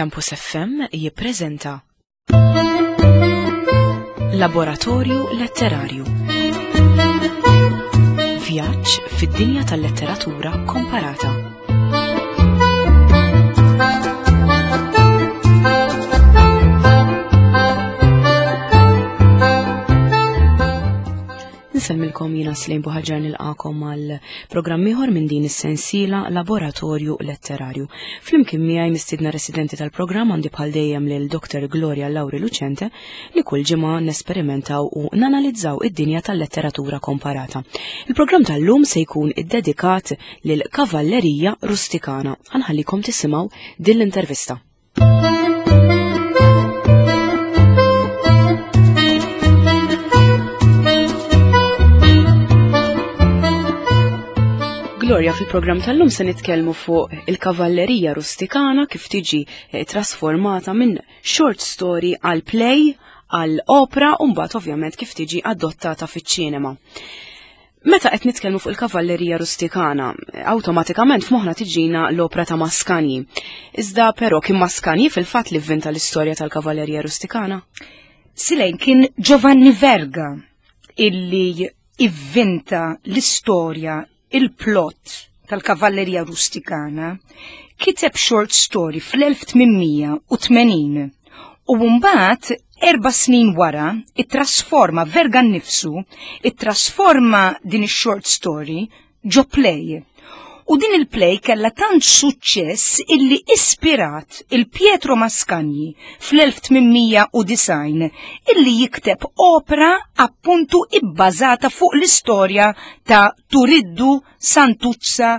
Campus FM jippreżenta Laboratorju Letterarju. Vjaġġ fid-dinja tal-letteratura komparata. Nsellmilkom jiena Slejn Buħaġar nilqakom għal programm ieħor minn din is-sensiela Laboratorju Letterarju. Flimkien miegħi mistiedna residenti tal-programm għandi bħal dejjem lil Dr. Gloria Lauri Lucente li kull ġimgħa nesperimentaw u nanalizzaw id-dinja tal-letteratura komparata. Il-programm tal-lum se jkun iddedikat lil Kavallerija Rustikana. Ħanħallikom tisimgħu din l-intervista. Gloria, fil-programm tal-lum se nitkellmu fuq il-kavallerija rustikana kif tiġi eh, trasformata minn short story għal play għal opera u mbagħad ovvjament kif tiġi adottata fiċ-ċinema. Meta qed nitkellmu fuq il-kavallerija rustikana, awtomatikament f'moħħna tiġina l-opra ta' Mascagni. Iżda però kien Mascagni fil-fatt li vvinta l-istorja tal-kavallerija rustikana? Silejn kien Giovanni Verga illi ivvinta l-istorja, il-plot tal-kavallerija rustikana, kiteb short story fl-1880 u mbagħad Erba' snin wara, ittrasforma Verga nnifsu, ittrasforma din ix-short story ġo play. U din il-play kellha tant suċċess illi ispirat il Pietro Mascagni fl-1890 illi jikteb opra appuntu ibbażata fuq l-istorja ta' Turiddu, Santuzza,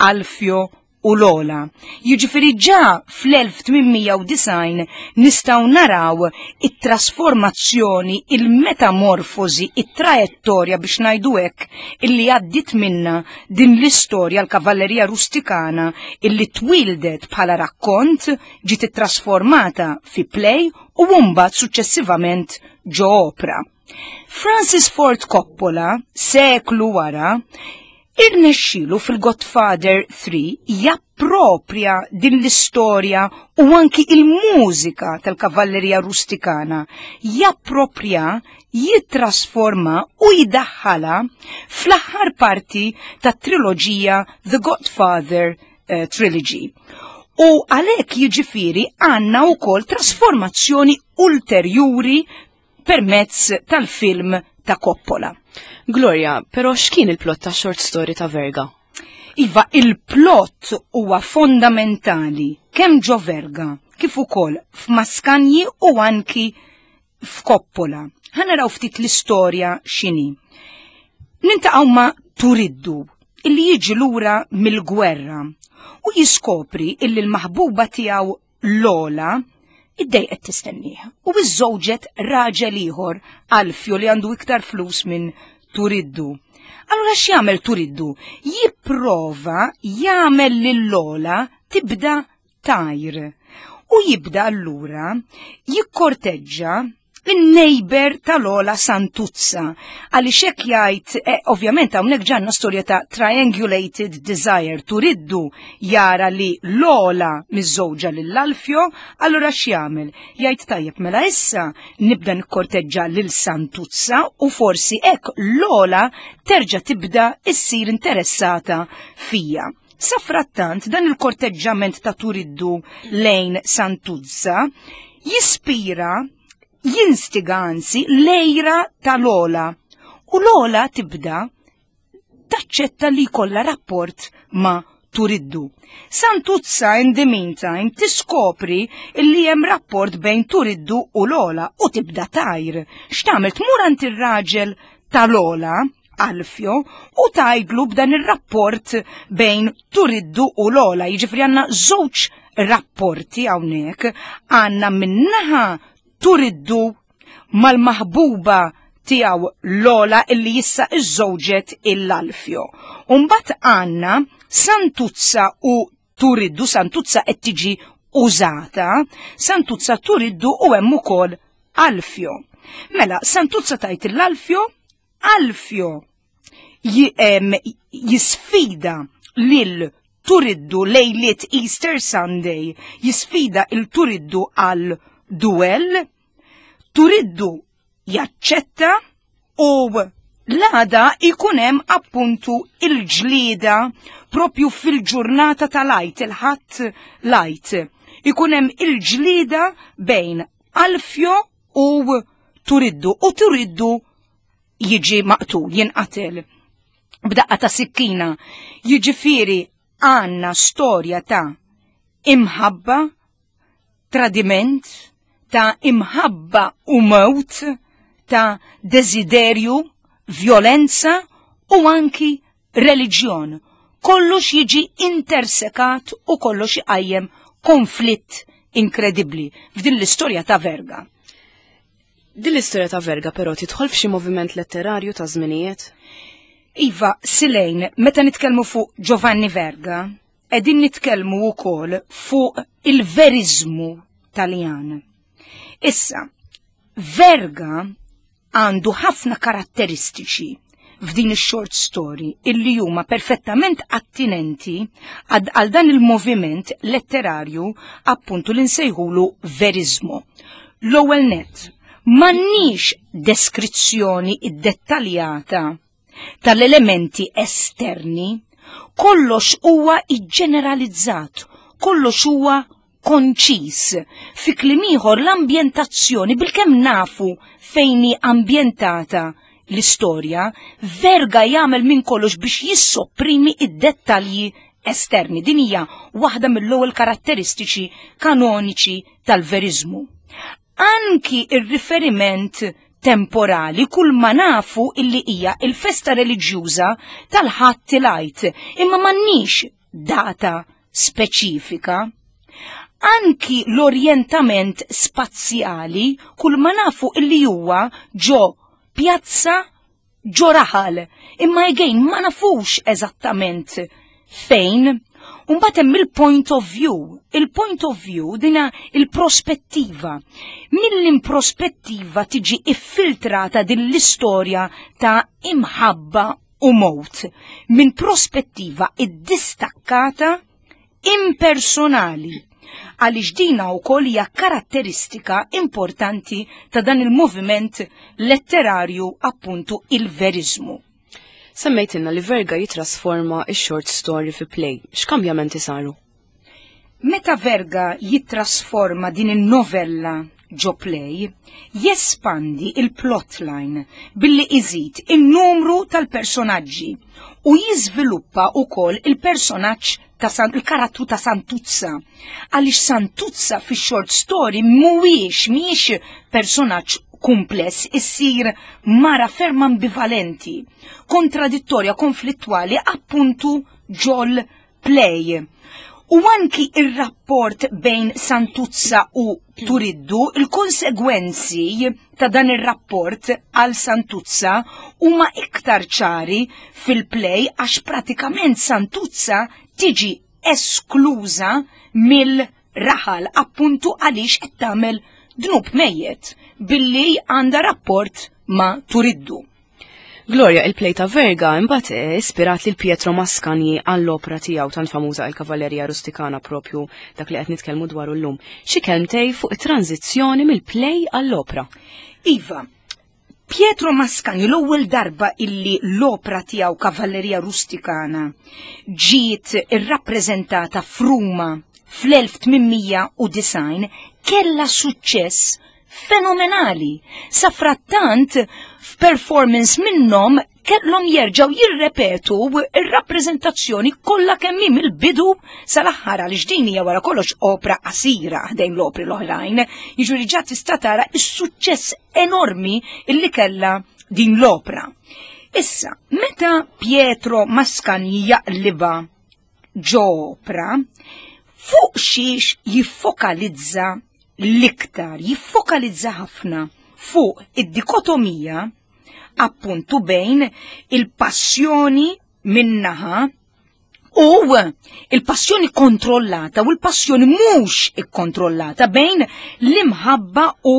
Alfio u l-ogħla. Jiġifieri ġa fl-1890 nistgħu naraw it-trasformazzjoni, il-metamorfosi, it-trajettorja biex ngħidu hekk illi għaddiet minna din l-istorja l-kavallerija rustikana illi twildet bħala rakkont ġiet ittrasformata fi play u mbagħad suċċessivament ġo opra. Francis Ford Coppola, seklu wara, Irnexxielu fil-Godfather 3 japproprja din l-istorja u anki il-mużika tal-kavallerija rustikana, japproprja, jittrasforma u jdaħħalha fl-aħħar parti tat-triloġija The Godfather eh, Trilogy. U għalhekk jiġifieri għandna wkoll trasformazzjoni ulterjuri permezz tal-film ta' Coppola. Gloria, però x'kien il-plot ta' short story ta' Verga? Iva, il-plot huwa fondamentali kemm ġo Verga kif ukoll f'Maskanji u anki f'Coppola. Ħa naraw ftit l-istorja x'inhi. Nintaqgħu ma' Turiddu illi jiġi lura mill-gwerra u jiskopri illi l-maħbuba tiegħu Lola iddejqet tistennieh u iżżewġet raġel ieħor Alfio li għandu iktar flus minn Turiddu. Allura x'jagħmel Turiddu? Jipprova jagħmel lil Lola tibda tajr. U jibda allura jikkorteġġa in-neighbor tal-Ola Santuzza. Għaliex hekk jgħid, eh, ovvjament hawnhekk ġanna storja ta' triangulated desire, turiddu jara li l-Ola miżżewġa lil Alfio, allura x'jagħmel? Jgħid tajjeb mela issa nibda nikkorteġġa lil Santuzza u forsi hekk l-Ola terġa' tibda issir interessata fija. Safrattant dan il-korteġġament ta' Turiddu lejn Santuzza jispira, jinstiga anzi l-ejra ta' Lola. U Lola tibda taċċetta li jkollha rapport ma' Turiddu. Santuzza in the meantime tiskopri li hemm rapport bejn Turiddu u Lola u tibda tajr. X'tagħmel tmur għand ir-raġel ta' Lola Alfio u tgħidlu b'dan ir-rapport bejn Turiddu u Lola. Jiġifieri għandna żewġ rapporti hawnhekk, għandna minnaħa Turiddu mal-maħbuba tiegħu Lola illi jissa iżżewġet il-Alfio. Umbagħad għandna Santuzza u Turiddu, Santuzza qed tiġi użata, Santuzza Turiddu u hemm ukoll Alfio. Mela, Santuzza tajt l-Alfio, Alfio jisfida lil Turiddu lejliet Easter Sunday, jisfida il Turiddu għal duell, Turiddu jaċċetta u l-għada ikun hemm appuntu il-ġlieda propju fil-ġurnata tal-Għid, il-Ħadd l-Għid. Ikun hemm il-ġlieda bejn Alfio u Turiddu u Turiddu jiġi maqtul, jinqatel b'daqqa ta' sikkina. Jiġifieri għandna storja ta' imħabba, tradiment, ta' imħabba u mewt, ta' desiderju, vjolenza u anki reliġjon. Kollox jiġi intersekat u kollox iqajjem konflitt inkredibbli f'din l-istorja ta' Verga. Din l-istorja ta' Verga però tidħol f'xi moviment letterarju ta' żminijiet? Iva, Silejn, meta nitkellmu fuq Giovanni Verga, qegħdin nitkellmu wkoll fuq il-veriżmu Taljan. Issa, Verga għandu ħafna karatteristiċi f'din ix-short story illi huma perfettament attinenti għal dan il-moviment letterarju appuntu li nsejħulu verizmu. L-ewwel net, m'għandniex deskrizzjoni iddettaljata tal-elementi esterni, kollox huwa iġġeneralizzat, kollox huwa konċiż. Fi kliem ieħor l-ambjentazzjoni bilkemm nafu fejn hi ambjentata l-istorja, Verga jagħmel minn kollox biex jissopprimi id-dettalji esterni. Din hija waħda mill-ewwel karatteristiċi kanoniċi tal-veriżmu. Anki ir-riferiment temporali kull ma nafu illi hija il-festa reliġjuża tal-Ħadd il-Għid, imma m'għandniex data speċifika. Anki l-orjentament spazjali kull ma nafu illi huwa ġo pjazza ġo raħal, imma again ma nafux eżattament fejn. Umbagħad hemm il-point of view. Il-point of view dina il-prospettiva. Mill-improspettiva tiġi iffiltrata din l-istorja ta' imħabba u mowt minn prospettiva iddistakkata impersonali għaliex dina wkoll hija karatteristika importanti ta' dan il-moviment letterarju appuntu il-veriżmu. Semmejtilna li Verga jitrasforma x-short story fi play. X'kambjamenti saru? Meta Verga jittrasforma din in-novella ġo play, jespandi il-plotline billi iżid in-numru tal-personaġġi u jiżviluppa wkoll il-personaġġ ta' San, il-karattru ta' Santuzza. Għaliex Santuzza fix-short story mhuwiex mhijiex personaġġ kumpless, issir mara ferm ambivalenti, kontradittorja, konflittwali, appuntu ġol play. U anki ir-rapport bejn Santuzza u Turiddu, il-konsegwenzi ta' dan ir-rapport għal Santuzza huma iktar ċari fil-play għax pratikament Santuzza tiġi eskluża mill-raħal appuntu għaliex qed tagħmel dnub mejjet billi għandha rapport ma' Turiddu. Gloria, il-play ta' Verga imbagħad eh, ispirat lil Pietro Mascagni għall-opra tiegħu tant famuża il-Kavallerija Rustikana propju dak li qed nitkellmu dwaru llum. Xi kelmtej fuq it-tranzizzjoni mill-play għall-opra? Iva, Pietro Mascagni l-ewwel darba illi l-opra tiegħu Kavallerija Rustikana ġiet irrappreżentata f'Ruma fl-1890 kellha suċċess fenomenali. Safrattant, f'performance minnhom kellhom jerġgħu jirrepetu ir-rappreżentazzjoni kollha kemm hi mill-bidu sal-aħħar għaliex din hija wara kollox opra qasira ħdejn l-opri l-oħrajn. Jiġifieri ġa tista' tara s-suċċess enormi illi kellha din l-opra. Issa, meta Pietro Mascagni jaqliba ġo opra, fuq xiex jiffokalizza l-iktar, jiffokalizza ħafna fuq id-dikotomija appuntu bejn il-passjoni minnaħa u il-passjoni kontrollata u l-passjoni mhux ikkontrollata bejn l-imħabba u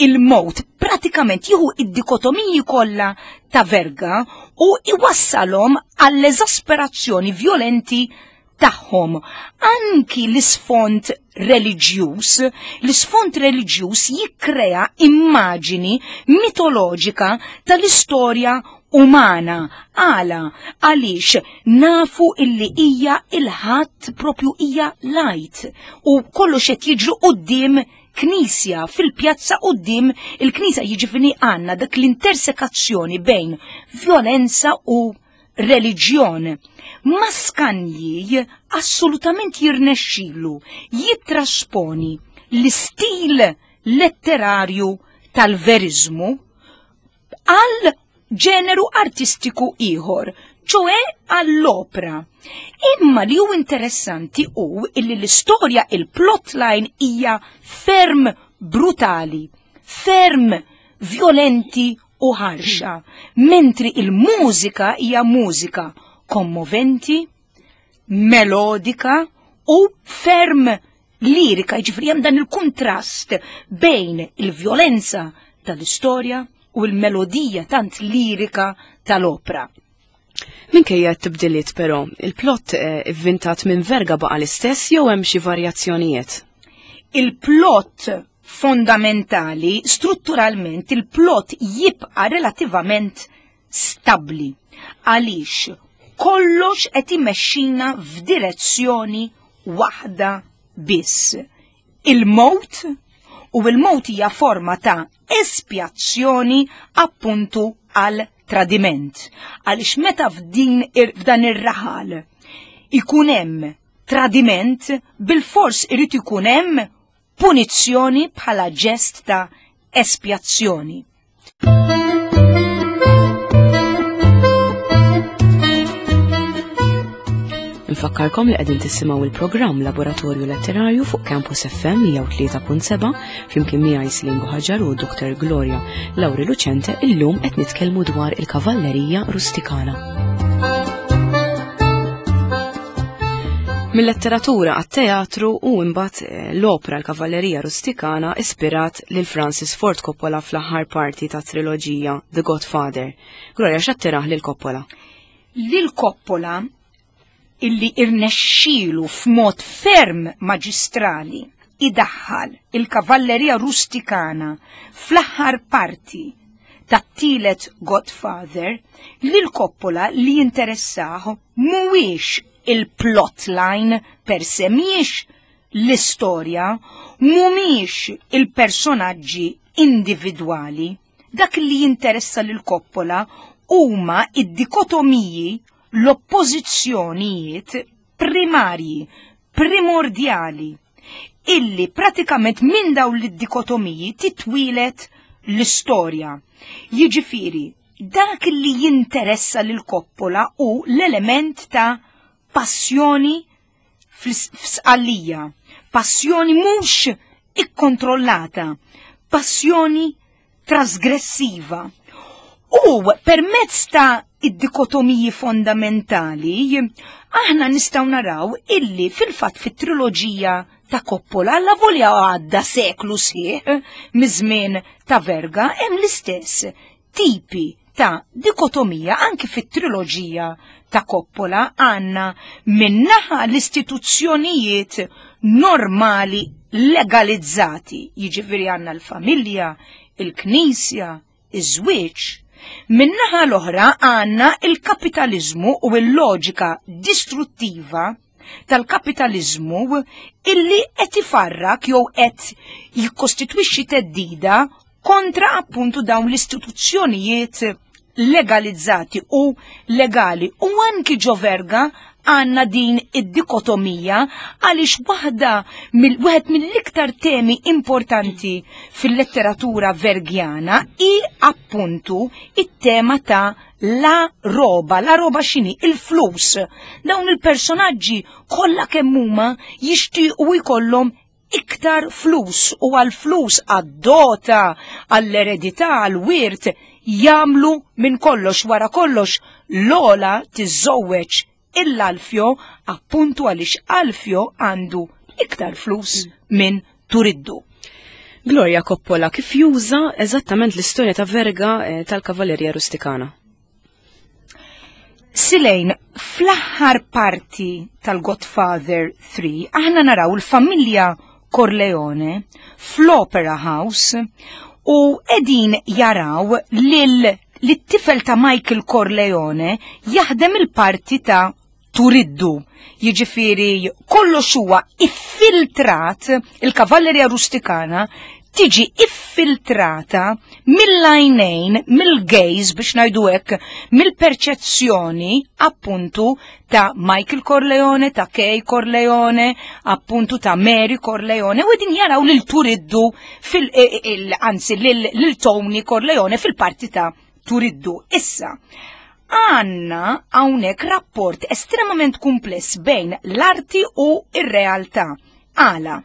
il-mowt. Pratikament jieħu id-dikotomiji kollha ta' Verga u iwassalhom għall-eżasperazzjoni vjolenti tagħhom. Anki l-isfond reliġjuż, l-isfond reliġjuż jikkrea immaġini mitoloġika tal-istorja umana. Għala, għaliex nafu illi hija il-ħadd propju hija lajt u kollox qed jiġri quddiem knisja fil-pjazza quddiem il-knisja jiġifieri għandna dak l-intersekazzjoni bejn violenza u reliġjon. Maskanji assolutament jirnexxilu jittrasponi l-istil letterarju tal-verizmu għal ġeneru artistiku ieħor, ċoe għall-opra. Imma li hu interessanti hu illi l-istorja il-plotline hija ferm brutali, ferm violenti u ħarxa, mentri il-mużika hija mużika kommoventi, melodika u ferm lirika, jiġifieri hemm dan il-kuntrast bejn il-vjolenza tal-istorja u l-melodija tant lirika tal-opra. Minkejja t-tibdiliet però, il-plot eh, ivvintat minn Verga baqa l-istess jew hemm xi varjazzjonijiet? Il-plot fondamentali, strutturalment, il-plot jibqa' relativament stabbli. Għaliex kollox qed imexxina f'direzzjoni waħda biss. Il-mowt u l-mowt hija forma ta' espjazzjoni appuntu għal tradiment. Għaliex meta f'din f'dan ir-raħal ikun hemm tradiment, bil-fors irid ikun hemm punizzjoni bħala ġest ta' espjazzjoni. Nfakkarkom li qegħdin tisimgħu il-programm Laboratorju Letterarju fuq Campus FM 103.7 flimkien miegħi Slim Buħaġar u Dr. Gloria Lauri Lucente illum qed nitkellmu dwar il-kavallerija rustikana. Mil-letteratura għat-teatru u imbagħad eh, l-opra l-Kavallerija Rustikana ispirat lil Francis Ford Coppola fl-aħħar parti ta' triloġija The Godfather. Gloria x'attirah lil Coppola? Lil Coppola illi irnexxielu f'mod ferm maġistrali idaħħal il-kavallerija rustikana fl-aħħar parti tat-tielet Godfather, lil Coppola li jinteressah mhuwiex il-plotline per se mhijiex l-istorja, mhumiex il-personaġġi individwali. Dak li jinteressa lil Coppola huma id-dikotomiji, l-oppożizzjonijiet primarji, primordjali, illi pratikament minn dawn l-dikotomiji titwilet l-istorja. Jiġifieri, Dak li jinteressa lil Coppola hu l-element ta' passjoni f'Sqallija, passjoni mhux ikkontrollata, passjoni trasgressiva. U permezz ta' id-dikotomiji fondamentali, aħna nistgħu naraw illi fil-fatt fit-triloġija ta' Coppola, alla volja għadda seklu sħiħ miż-żmien ta' Verga, hemm l-istess tipi ta' dikotomija anki fit-triloġija ta' Coppola għandna minnaħa l-istituzzjonijiet normali legalizzati, jiġifieri għandna l-familja, il-knisja, iż-żwieġ. Minnaħa l-oħra għandna il-kapitaliżmu u l-loġika distruttiva tal-kapitaliżmu illi qed ifarrak jew qed jikkostitwixxi theddida kontra appuntu dawn l-istituzzjonijiet legalizzati u legali. U anki ġo Verga għanna din id-dikotomija għaliex waħda mill wieħed mill-iktar temi importanti fil-letteratura vergjana hi appuntu it-tema ta' la roba, la roba x'inhi? Il-flus. Dawn il-personaġġi kollha kemm huma jixtiequ jkollhom iktar flus u għal-flus għad-dota, għall-eredità, għall-wirt, jagħmlu minn kollox wara kollox Lola tiżżewweġ il-Alfio appuntu għaliex Alfio għandu iktar flus minn Turiddu. Gloria Coppola kif juża eżattament l-istorja ta' Verga eh, tal-Kavallerija Rustikana? Silejn, fl-aħħar parti tal-Godfather 3, aħna naraw il-familja Corleone fl-Opera House u edin jaraw lil lit-tifel ta' Michael Corleone jaħdem il-parti ta' Turiddu. Jiġifieri kollox huwa iffiltrat, il-kavallerija rustikana tiġi iffiltrata mill-għajnejn, mill-gaze biex ngħidu hekk, mill-perċezzjoni appuntu ta' Michael Corleone, ta' Kay Corleone, appuntu ta' Mary Corleone, u din jaraw lil Turiddu fil e, e, anzi lil Tony Corleone fil-parti ta' Turiddu. Issa, għanna hawnhekk rapport estremament kumpless bejn l-arti u r-realtà. Għala,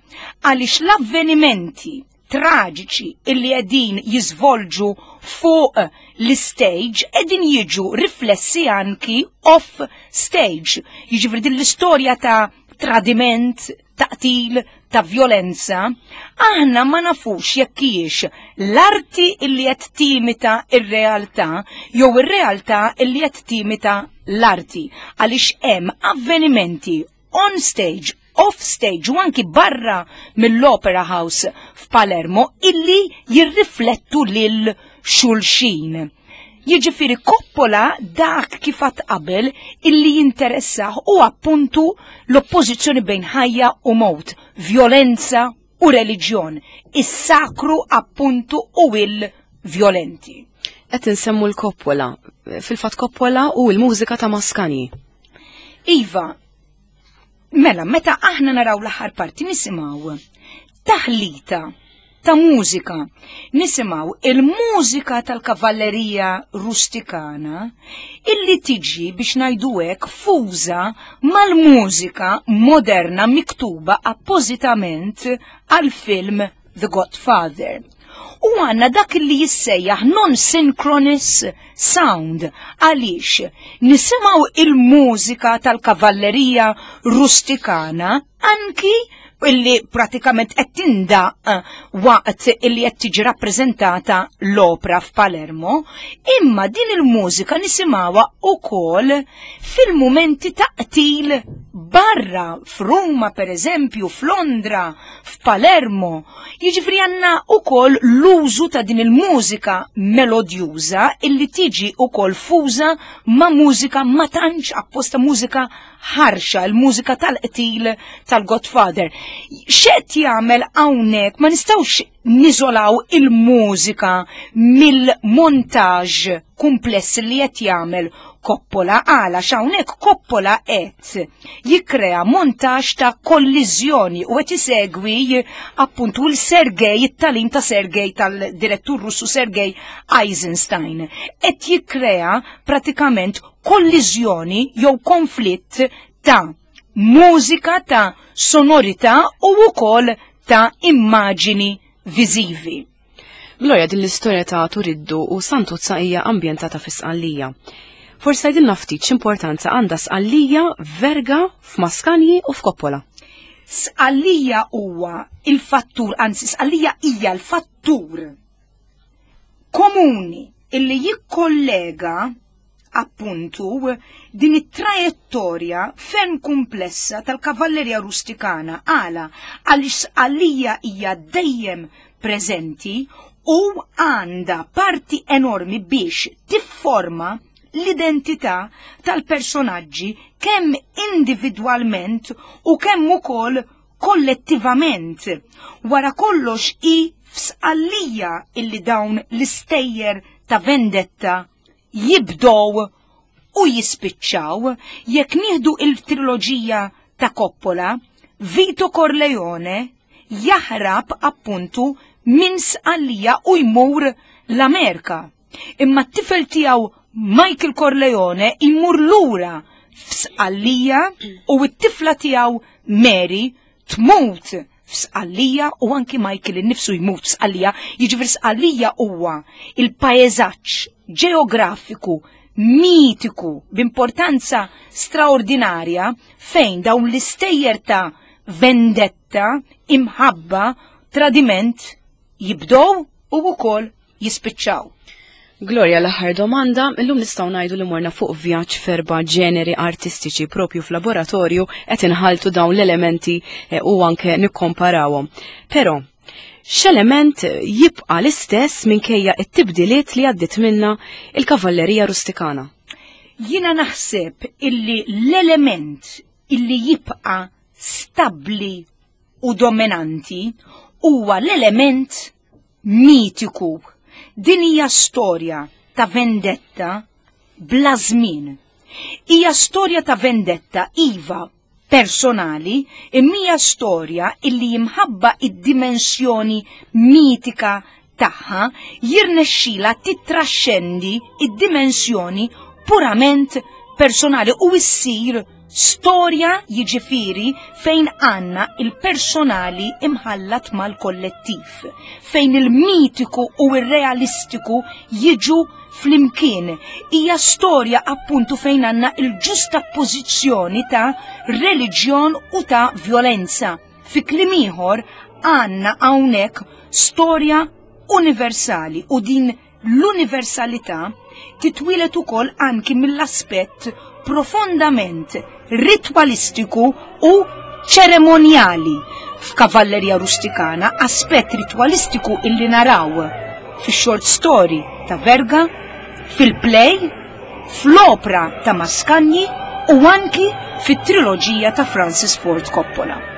għaliex l-avvenimenti traġiċi illi qegħdin jiżvolġu fuq l-stage qegħdin jiġu riflessi anki off stage. Jiġifieri din l-istorja ta' tradiment, ta' qtil, ta' vjolenza, aħna ma nafux jekk hijiex l-arti illi qed timita r-realtà jew ir-realtà illi qed timita l-arti għaliex hemm avvenimenti on stage, off stage u anki barra mill-Opera House f'Palermo illi jirriflettu lil xulxin. Jiġifieri Coppola dak kif għadt qabel illi jinteressah u appuntu l-oppożizzjoni bejn ħajja u mowt, vjolenza u reliġjon, is-sakru appuntu u il-vjolenti. Qed insemmu l-Coppola, fil-fatt Coppola u l-mużika ta' Mascagni. Iva, mela, meta aħna naraw l-aħħar parti nisimgħu taħlita ta' mużika. Nisimgħu il-mużika tal-kavallerija rustikana illi tiġi biex ngħidu hekk fuża mal-mużika moderna miktuba appożitament għall-film The Godfather. U għanna dak li jissejjaħ non-synchronous sound għaliex nisimgħu il-mużika tal-kavallerija rustikana anki illi pratikament qed tindaq eh, waqt illi qed tiġi rappreżentata l-opra f'Palermo, imma din il-mużika nisimgħuha wkoll fil-mumenti ta' qtil barra f'Ruma pereżempju, f'Londra, f'Palermo. Jiġifieri għandna wkoll l-użu ta' din il-mużika melodjuża illi tiġi wkoll fuża ma' mużika ma tantx apposta mużika ħarxa, il-mużika tal-qtil tal-Godfather. X'qed jagħmel hawnhekk ma nistgħux niżolaw il-mużika mill-montaġġ kumpless li qed jagħmel Coppola għala x'hawnhekk Coppola qed jikkrea montaġġ ta' kolliżjoni u qed isegwi appuntu l-Sergej, it-talim ta' Sergej tal-direttur Russu Sergej Eisenstein. Qed jikkrea pratikament kolliżjoni jew konflitt ta' mużika ta' sonorità u wkoll ta' immaġini viżivi. Gloria, din l-istorja ta' Turiddu u Santuzza hija ambjentata fi Sqallija. Forsi tgħidilna ftit x'importanza għandha Sqallija f'Verga, f'Maskanji u f'Coppola. Sqallija huwa il-fattur, anzi Sqallija hija l-fattur komuni illi jikkollega appuntu din it-trajettorja ferm kumplessa tal-kavallerja rustikana għala għaliex Sqallija hija dejjem preżenti u għandha parti enormi biex tifforma l-identità tal-personaġġi kemm individwalment u kemm ukoll kollettivament. Wara kollox hi f'Sqallija illi dawn l-istejjer ta' vendetta jibdow u jispiċċaw. Jekk nieħdu il-triloġija ta' Coppola, Vito Corleone jaħrab appuntu minn Sqallija u jmur l-Amerika. Imma t-tifel tiegħu Michael Corleone jmur lura f'Sqallija u t-tifla tiegħu Mary tmut f'Sqallija u anki Michael innifsu jmut f'Sqallija. Jiġifieri Sqallija huwa il-paeżaġġ ġeografiku mitiku b'importanza straordinarja fejn dawn l-istejjer ta' vendetta, imħabba, tradiment jibdow u wkoll jispiċċaw. Gloria, l-aħħar domanda, illum nistgħu ngħidu li morna fuq vjaġġ f'erba' ġeneri artistiċi propju f'laboratorju qed inħaltu dawn l-elementi eh, u anke nikkomparawhom. Però, x'element jibqa' l-istess minkejja t-tibdiliet li għaddiet minna il-kavallerija rustikana? Jiena naħseb illi l-element illi jibqa' stabbli u dominanti huwa l-element mitiku. Din hija storja ta' vendetta bla żmien. Hija storja ta' vendetta iva personali, imma hija storja illi jimħabba id-dimensjoni mitika tagħha jirnexxila titraxxendi id-dimensjoni purament personali u issir Storja jiġifieri fejn għandna il-personali imħallat mal-kollettiv, fejn il-mitiku u r-realistiku jiġu flimkien. Hija storja appuntu fejn għandna il-ġustappożizzjoni ta' reliġjon u ta' vjolenza. Fi kliem ieħor għandna hawnhekk storja universali u din L-universalità titwieled ukoll anki mill-aspett profondament ritwalistiku u ċeremonjali f'Kavallerija Rustikana, aspett ritwalistiku illi naraw fix-short story ta' Verga, fil-play, fl-opra ta' Mascagni u anki fit-triloġija ta' Francis Ford Coppola.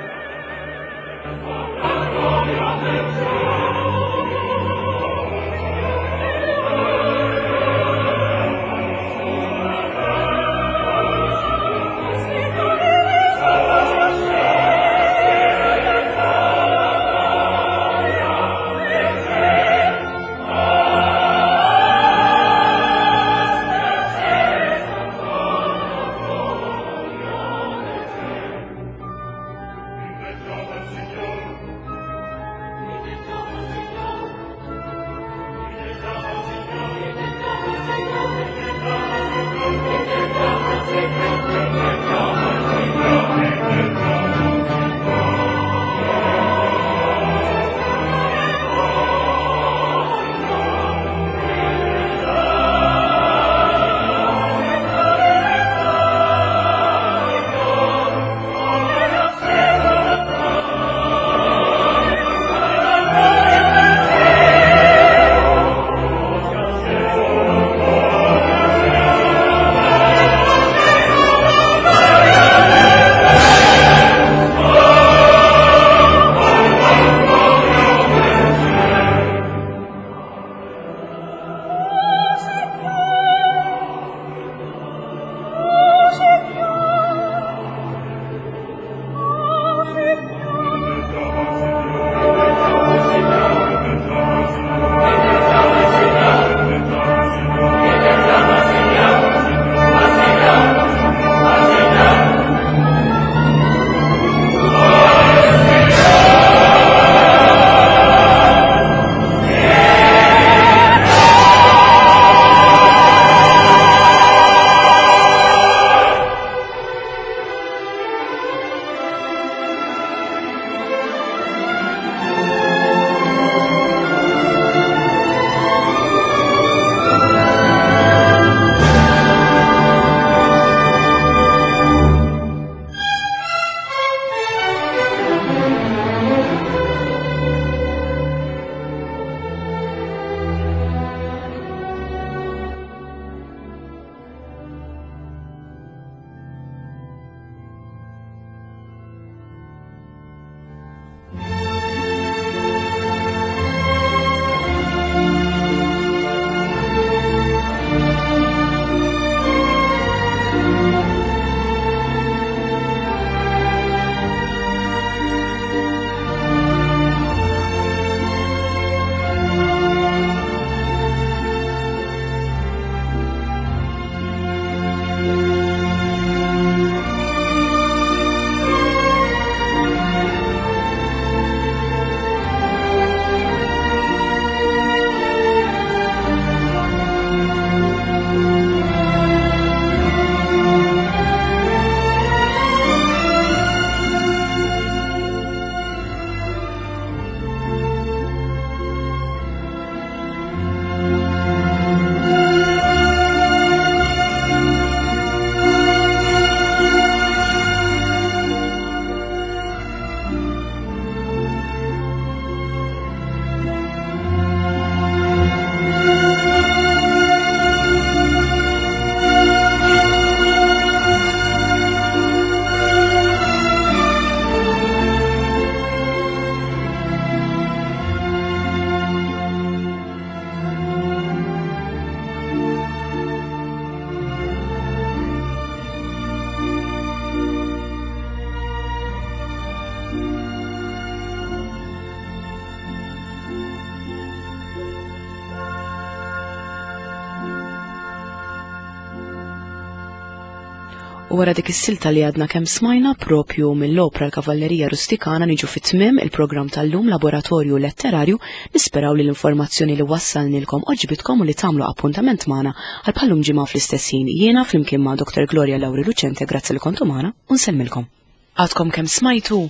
U wara dik is-silta li għadna kemm smajna propju mill-opra l-Kavallerija Rustikana niġu fit-tmiem il-programm tal-lum Laboratorju Letterarju nisperaw li l-informazzjoni li wassalnilkom oġbitkom u li tagħmlu appuntament magħna għal bħallum ġimgħa fl-istess ħin. Jiena flimkien ma' Dr. Gloria Lauri Lucente grazzi li kontu magħna u nsellmilkom. Għadkom kemm smajtu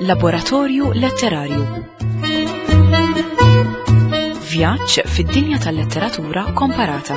Laboratorju Letterarju. Vjaġġ fid-dinja tal-letteratura komparata.